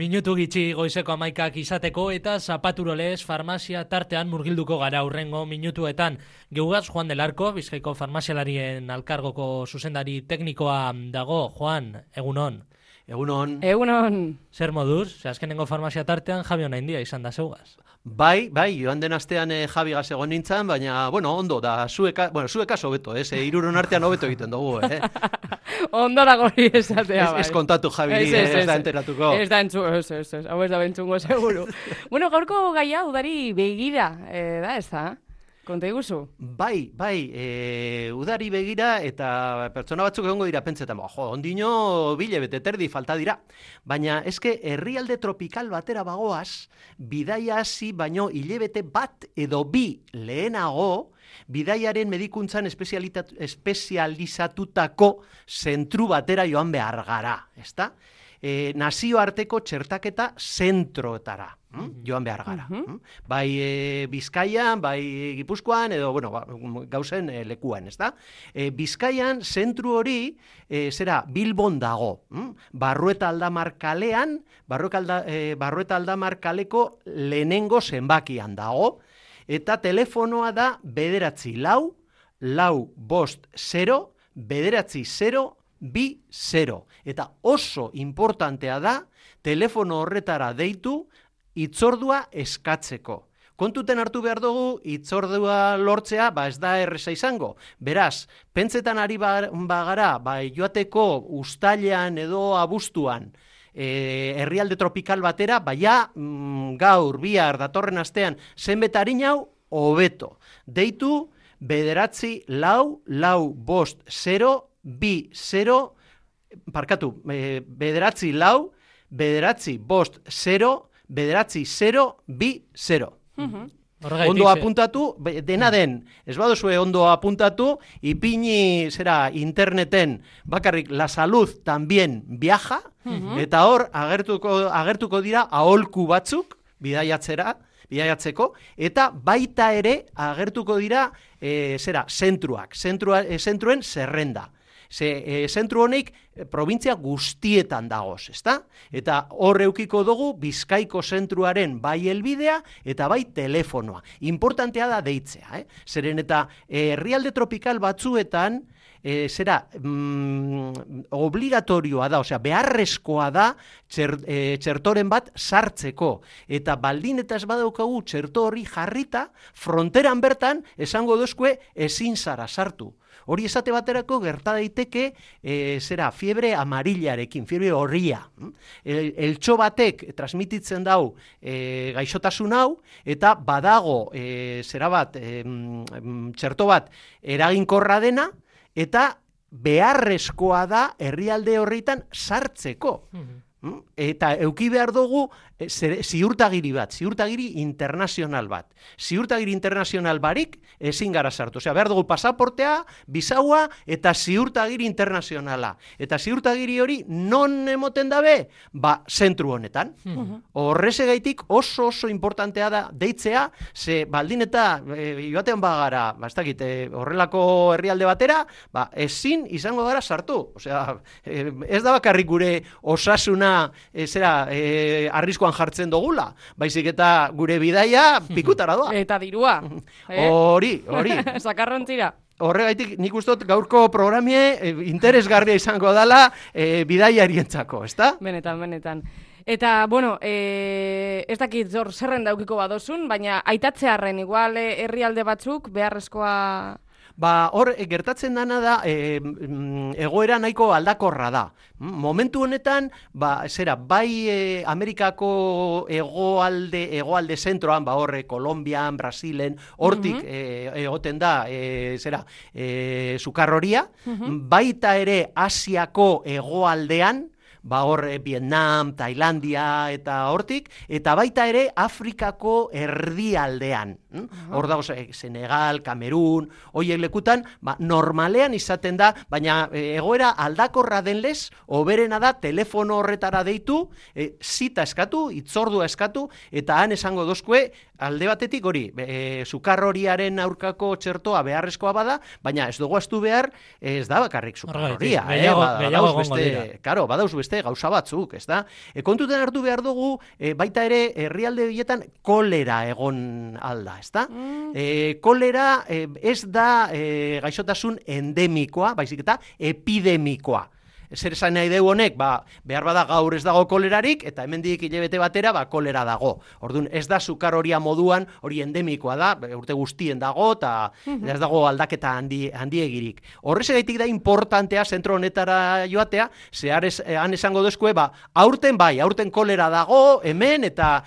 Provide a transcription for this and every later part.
Minutu gitxi goizeko 11 izateko eta zapaturolez farmazia tartean murgilduko gara hurrengo minutuetan. Geugaz Juan del Arco, Bizkaiko farmazialarien alkargoko zuzendari teknikoa dago. Juan, egunon. Egunon. Zer moduz? Azkenengo farmazia tartean Javi Onaindia izan da zeugaz. Bai, joan den astean Javi gaz egon nintzen, baina, ondo da, zuekaz hobeto, hiruron artean hobeto egiten dugu, Ondora gori esatea, bai. Ez kontatu, Javi, ez da enteratuko. Ez da hau ez da bentzungo, seguru. Gaurko gaia udari begira, da, ez da? Konta iguzu? Bai, udari begira eta pertsona batzuk egongo dira pentsetan, ondino bile bete terdi falta dira. Baina eske herrialde tropikal batera bagoaz, bidaia hasi baino hilebete bat edo bi lehenago, bidaiaren medikuntzan espezializatutako zentru batera joan behar gara, ezta? Nazioarteko txertaketa zentroetara joan behar gara. Bai Bizkaian, bai Gipuzkoan, edo gauzen lekuan, ezta? Bizkaian zentru hori Bilbon dago. Barrueta Aldamar kalean, Barrueta Aldamar kaleko lehenengo zenbakian dago, eta telefonoa da 945-450-2-0, eta oso importantea da telefono horretara deitu hitzordua eskatzeko. Kontuten hartu behar dugu, hitzordua lortzea, ez da erreza izango. Beraz, pentsetan ari bagara, joateko uztailean edo abuztuan, herrialde tropikal batera, gaur, bihar, datorren astean, zenbet harinau, hobeto. Deitu, 945-450-2-0, parkatu, 945-450-2-0. Ondo apuntatu, dena den, ez baduzue ondo apuntatu, ipini interneten bakarrik La Salud también viaja, eta hor agertuko dira aholku batzuk bidaiatzeko, eta baita ere agertuko dira zentruen zerrenda. Zentru honek provintzia guztietan dagoz, ezta? Eta hor eukiko dugu Bizkaiko zentruaren bai helbidea eta bai telefonoa. Importantea da deitzea, Zeren eta herrialde tropikal batzuetan obligatorioa da, beharrezkoa da txertoren bat sartzeko. Eta baldin eta ez badaukagu txerto hori jarrita, fronteran bertan esango dozkue ezin zara sartu. Hori esate baterako gerta daiteke fiebre amarillarekin, fiebre horria. Eltxo batek transmititzen dau gaixotasun hau, eta badago txerto bat eraginkorra dena, eta beharrezkoa da herrialde horretan sartzeko. Eta euki behar dugu ziurtagiri internazional bat. Ziurtagiri internazional barik ezin gara sartu. Behar dugu pasaportea, bisaua eta ziurtagiri internazionala. Eta ziurtagiri hori non emoten dabe? Zentru honetan. Horrezegaitik oso importantea da deitzea, ze baldin eta joatean bagara, horrelako herrialde batera, ezin izango gara sartu. Ez da bakarrik gure osasuna arriskoan jartzen dugula, baizik eta gure bidaia pikutara doa. Eta dirua. Hori. Sakarrontzira. Horregaitik nik ustot gaurko programie interesgarria izango dela bidaiarientzako, ezta? Benetan. Eta, ez dakit zerren daukiko badozun, baina aitatzearren igual herrialde batzuk beharrezkoa... Hor, gertatzen dana da, egoera nahiko aldakorra da. Momentu honetan, bai Amerikako egoalde zentroan, hor, Kolombian, Brasilen, hortik egoten da, sukarroria, baita ere Asiako egoaldean, hor Vietnam, Tailandia eta hortik, eta baita ere Afrikako erdialdean. Hor dago Senegal, Kamerun, horiek lekutan, normalean izaten da, baina egoera aldakorra denlez, hoberena da telefono horretara deitu, zita eskatu, hitzordua eskatu, eta han esango dozkue, alde batetik hori, sukarroriaren aurkako txertoa beharrezkoa bada, baina ez dugu astu behar, ez da bakarrik sukarroria. Badauz beste gauza batzuk, ez da? Kontuten hartu behar dugu, baita ere, herrialde horietan kolera egon alda, ez da? Kolera ez da gaixotasun endemikoa, baizik eta epidemikoa. Zer esan nahi dugu honek, behar bada gaur ez dago kolerarik, eta hemendik hilabete batera, kolera dago. Orduan, ez da sukaroria moduan, hori endemikoa da, urte guztien dago, eta ez dago aldaketa handiegirik. Horrezegaitik da importantea zentro honetara joatea, han esango dozkue, aurten kolera dago, hemen, eta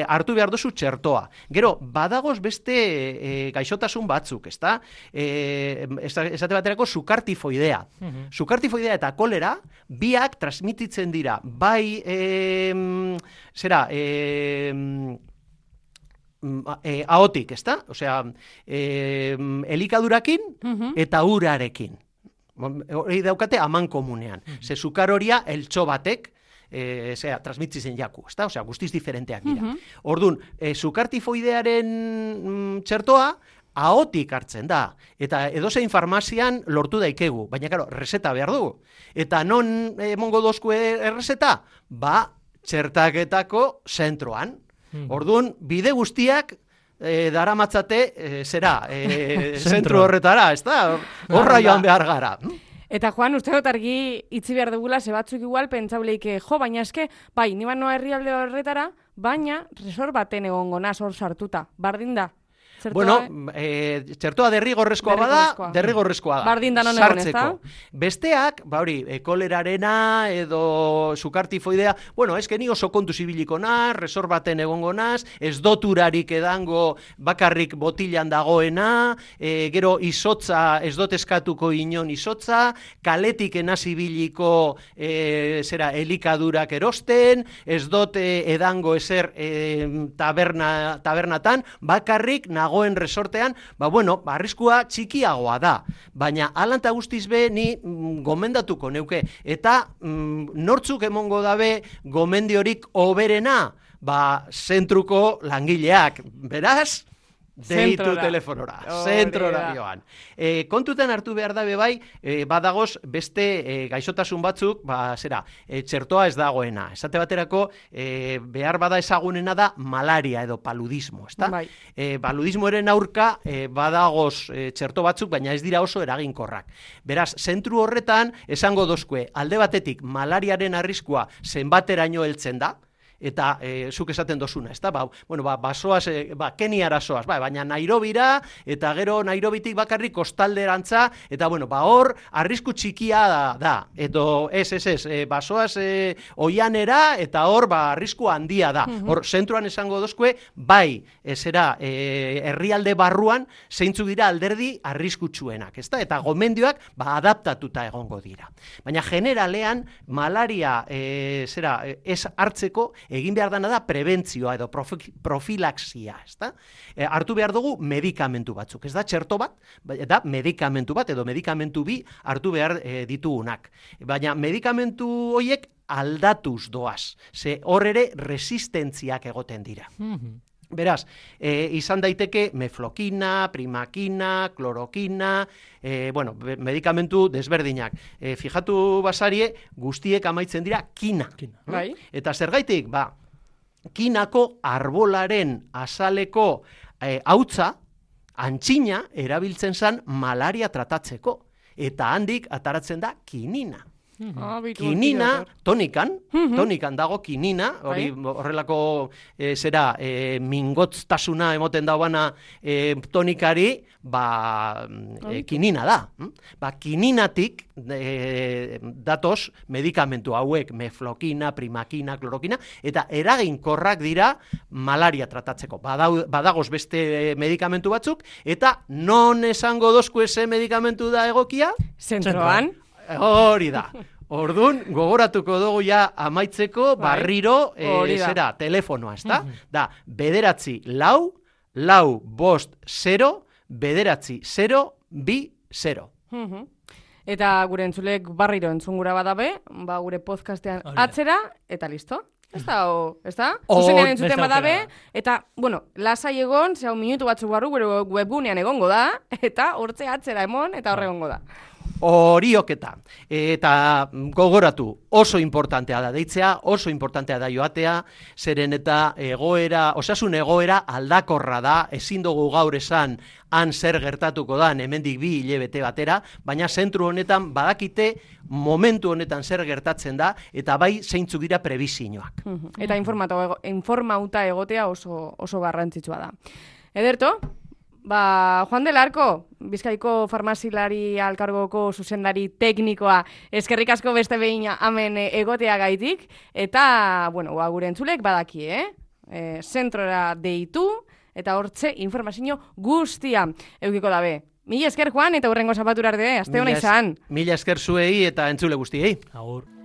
hartu behar duzu txertoa. Gero, badagoz beste gaixotasun batzuk, ezta? Esate baterako sukartifoidea. Sukartifoidea eta kolera biak transmititzen dira, bai ahotik, ezta? Osea, elikadurakin eta urarekin. Hori daukate aman komunean. Ze sukaroria eltxo batek transmititzen jaku, ezta? Osea, guztiz diferenteak dira. Orduan, sukartifoidearen txertoa ahotik hartzen da, eta edozein farmazian lortu daikegu, baina, karo, reseta behar dugu. Eta non emongo dozku erreseta? Txertaketako zentroan. Orduan, bide guztiak daramatzate zentro horretara, ez da? Horra joan behar gara. Eta Juan, uste dut argi itzi behar dugula, ze batzuk igual, pentsauleik, baina eske, bai, niban noa herrialde horretara, baina resort baten egongo naz hor sartuta, bardin da. Txertoa derrigorrezkoa da. Bardin da non egon, ez da? Besteak, kolerarena edo sukartifoidea, eske ni oso kontu zibiliko naz, resort baten egongo naz, ez doturarik edango bakarrik botilan dagoena, gero izotza, ez dot eskatuko inon izotza, kaletik enaz ibiliko elikadurak erosten, ez dot edango ezer tabernatan, bakarrik nagoen resortean, arriskua txikiagoa da. Baina, alanta guztiz be, ni gomendatuko neuke. Eta nortzuk emongo dabe gomendiorik oberena? Zentruko langileak. Beraz, deitu telefonora. Zentrora joan. Kontutan hartu behar dabe bai, badagoz beste gaixotasun batzuk, txertoa ez dagoena. Esate baterako, behar bada ezagunena da malaria edo paludismo, ezta? Paludismoaren aurka badagoz txerto batzuk, baina ez dira oso eraginkorrak. Beraz, zentru horretan, esango dozkue, alde batetik malariaren arriskua zenbateraino heltzen da, eta zuk esaten dozuna, ezta? Basoaz, Keniara soaz, baina Nairobira, eta gero Nairobitik bakarrik kostalderantza, eta hor, arrisku txikia da, edo basoaz oianera, eta hor, arrisku handia da. Hor, zentruan esango dozkue, herrialde barruan, zeintzuk dira alderdi arriskutsuenak, ezta? Eta gomendioak, adaptatuta egongo dira. Baina generalean, malaria ez hartzeko, egin behar dana da prebentzioa edo profilaxia, ezta? Hartu behar dugu medikamentu batzuk, ez da txerto bat, da medikamentu bat edo medikamentu bi hartu behar ditugunak. Baina medikamentu horiek aldatuz doaz, ze hor ere resistentziak egoten dira. Beraz, izan daiteke meflokina, primakina, klorokina, medikamentu desberdinak. Fijatu basarie, guztiek amaitzen dira kina. Eta zergaitik, kinako arbolaren azaleko hautza, antxina erabiltzen zen malaria tratatzeko. Eta handik ataratzen da kinina. Kinina, tonikan dago kinina, horrelako mingotztasuna emoten dauana tonikari, kinina da. Kininatik datoz medikamentu hauek, meflokina, primakina, klorokina, eta eraginkorrak dira malaria tratatzeko. Badagoz beste medikamentu batzuk, eta non esango dozku eze medikamentu da egokia? Zentroan. Hori da. Orduan, gogoratuko dugu ja amaitzeko barriro telefonoa, ezta? Da, 9-4-4-0-9-0-2-0. Eta gure entzulek barriro entzungura badabe, gure podcastean atzera, eta listo. Ez da? Zuzenean entzuten badabe, eta, lasai egon, minutu batzuk barru, gure webgunean egongo da, eta hortze atzera emon, eta horre egongo da. horioketa. Eta gogoratu, oso importantea da deitzea, oso importantea da joatea, zeren eta osasun egoera aldakorra da, ezin dugu gaur esan han zer gertatuko da, hemendik 2 hilabete batera, baina zentru honetan badakite momentu honetan zer gertatzen da, eta bai zeintzuk dira prebizioak. Eta informauta egotea oso garrantzitsua da. Ederto, Juan del Arco, Bizkaiko farmazilari alkargoko zuzendari teknikoa, eskerrik asko beste behin hemen egotea gaitik, eta, gure entzulek badaki, zentrora deitu, eta hortze informazio guztia eukiko dabe. Mila esker, Juan, eta hurrengo zapatura arte, aste hona izan. Mila esker zuei eta entzule guztiei. Agur.